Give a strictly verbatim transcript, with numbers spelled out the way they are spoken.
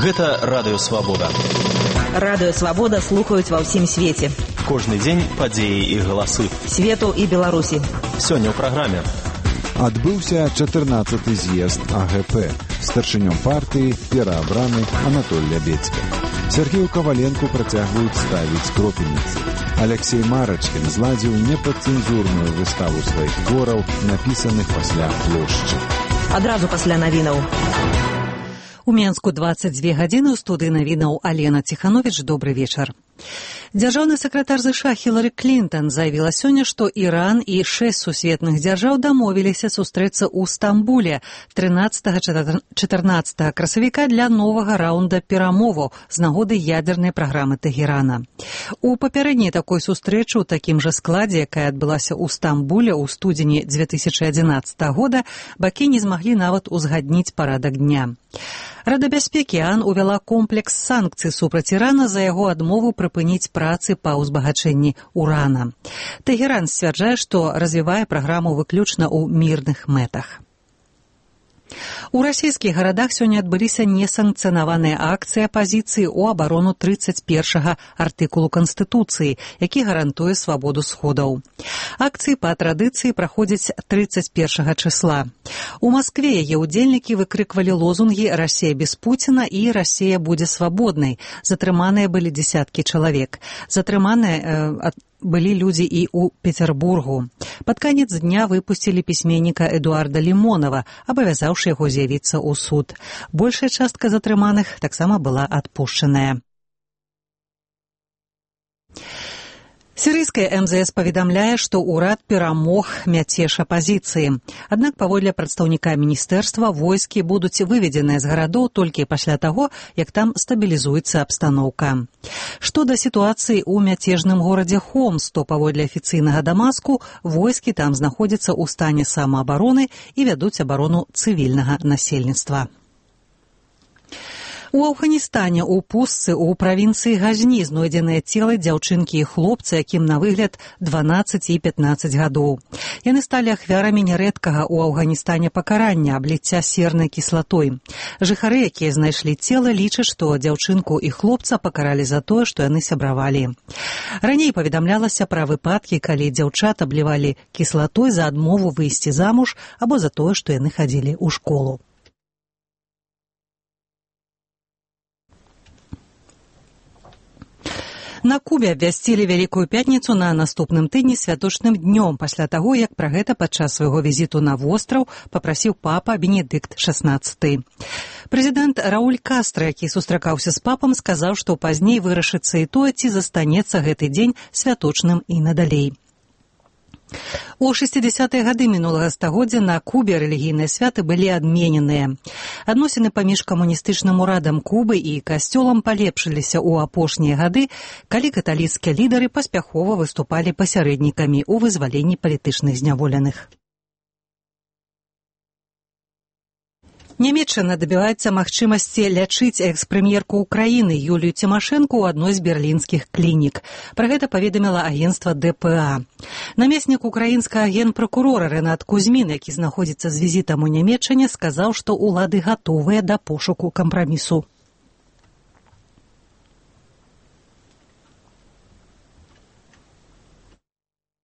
Гэта Радыё Свабода. Радыё Свабода слухаюць ва ўсім свеце. Кожны дзень падзеі і галасы. Свету і Беларусі. Сёння ў праграме. Адбыўся чатырнаццаты з'езд А Гэ Пэ. Старшынём партыі пераабраны Анатоль Лябедзька. Сергею Каваленку працягваюць ставіць кропельніцы. Алексей Марачкін зладзіў непадцэнзурную выставу сваіх твораў, напісаных пасля плошчы. Адразу пасля навінаў. У Менску дваццаць дзве гадзіны, у студыі навінаў Алена Ціхановіч. Добры вечар. Дзяржаўны сакратар ЗША Хілары Клінтон заявіла сёння, што Іран і шэсць сусветных дзяржаў дамовіліся сустрэцца ў Стамбуле трынаццатага-чатырнаццатага красавіка для новага раўнда перамоваў з нагоды ядзернай праграмы Тэгерана. У папярэдняй такой сустрэчы ў такім жа складзе, якая адбылася ў Стамбуле ў студзені дзве тысячы адзінаццатага года, бакі не змаглі нават узгадніць парадак дня. Рада бяспекі ААН увяла комплекс санкцый супраць Ірана за яго адмову прыпыніць працы па ўзбагачэнні урана. Тэгеран сцвярджае, што развівае праграму выключна ў мірных мэтах. У расійскіх гарадах сёння адбыліся несанкцыянаваныя акцыі апазіцыі ў абарону трыццаць першага артыкулу Канстытуцыі, які гарантуе свабоду сходаў. Акцыі па традыцыі праходзяць трыццаць першага чысла. У Маскве яе ўдзельнікі выкрыквалі лозунгі «Расія без Пуціна» і «Расія будзе свабоднай». Затрыманыя былі дзесяткі чалавек. Затрыманыя э, былі людзі і ў Петербургу. Пад канец дня выпусцілі пісьменніка Эдуарда Лімонава, абавязаўшы яго з'явіцца ў суд. Большая частка затрыманых таксама была адпушчаная. Сірыйская эм зэ эс паведамляе, што ўрад перамог мяцеж апазіцыі. Аднак, паводле прадстаўніка міністэрства, войскі будуць выведзеныя з гарадоў толькі пасля таго, як там стабілізуецца абстаноўка. Што да сітуацыі ў мяцежным горадзе Хомс, то паводле афіцыйнага Дамаску, войскі там знаходзяцца ў стане самаабароны і вядуць абарону цывільнага насельніцтва. У Афганістане ў пустцы ў правінцыі Газні знойдзеныя целы дзяўчынкі і хлопца, якім на выгляд дванаццаць і пятнаццаць гадоў. Яны сталі ахвярамі нярэдкага ў Афганістане пакарання, абліцця сернай кіслатой. Жыхары, якія знайшлі цела, лічаць, што дзяўчынку і хлопца пакаралі за тое, што яны сябравалі. Раней паведамлялася пра выпадкі, калі дзяўчат аблівалі кіслатой за адмову выйсці замуж або за тое, што яны хадзілі ў школу. На Кубе абвясцілі Вялікую пятніцу на наступным тыдні святочным днём пасля таго, як пра гэта падчас свайго візіту на востраў папрасіў папа Бенедыкт шаснаццаты. Прэзідэнт Рауль Кастра, які сустракаўся з папам, сказаў, што пазней вырашыцца і тое, ці застанецца гэты дзень святочным і надалей. У шэсцідзясятыя гады мінулага стагоддзя на Кубе рэлігійныя святы былі адмененыя. Адносіны паміж камуністычным урадам Кубы і касцёлам палепшыліся ў апошнія гады, калі каталіцкія лідары паспяхова выступалі пасярэднікамі ў вызваленні палітычных зняволеных. Нямецчына дабіваецца магчымасці лячыць экс-прэм'ерку ўкраіны Юлію Цімашэнку ў адной з берлінскіх клінік. Пра гэта паведаміла агенцтва Дэ Пэ А. Намеснік украінскага генпракурора Рэнат Кузьмін, які знаходзіцца з візітам у Нямецчане, сказаў, што ўлады гатовыя да пошуку кампрамісу.